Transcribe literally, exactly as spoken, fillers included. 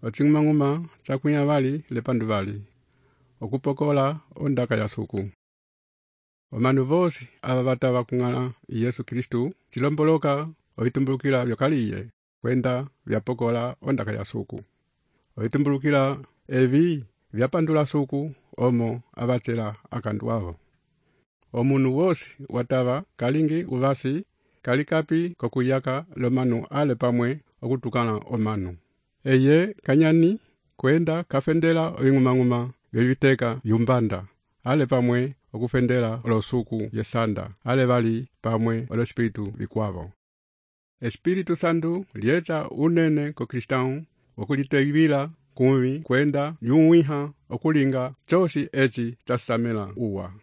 ocing'umang'uma cakwĩha vali lepandu vali, okupokola ondaka ya suku. Omanu vosi ava vatava kung'ala Yesu Kristu cilomboloka ovitumbulukila vyokaliye kwenda vyapokola ondaka ya suku. Ovitumbulukila evi vyapandula suku omo avatela akandu avo. Omunu wosi watava kalingi uvasi kalikapi kokuyaka lomanu ale pamwe okutukana omanu. Eye kanyani kwenda kafendela oving'umang'uma vyoviteka vyumbanda ale pamwe okufendela olosuku yesanda ale vali pamwe olespiritu vikwavo. Espiritu Santu lieta unene ko Kristau okulitevila kumvi kwenda lyuwiha okulinga cosi eci casamela uwa.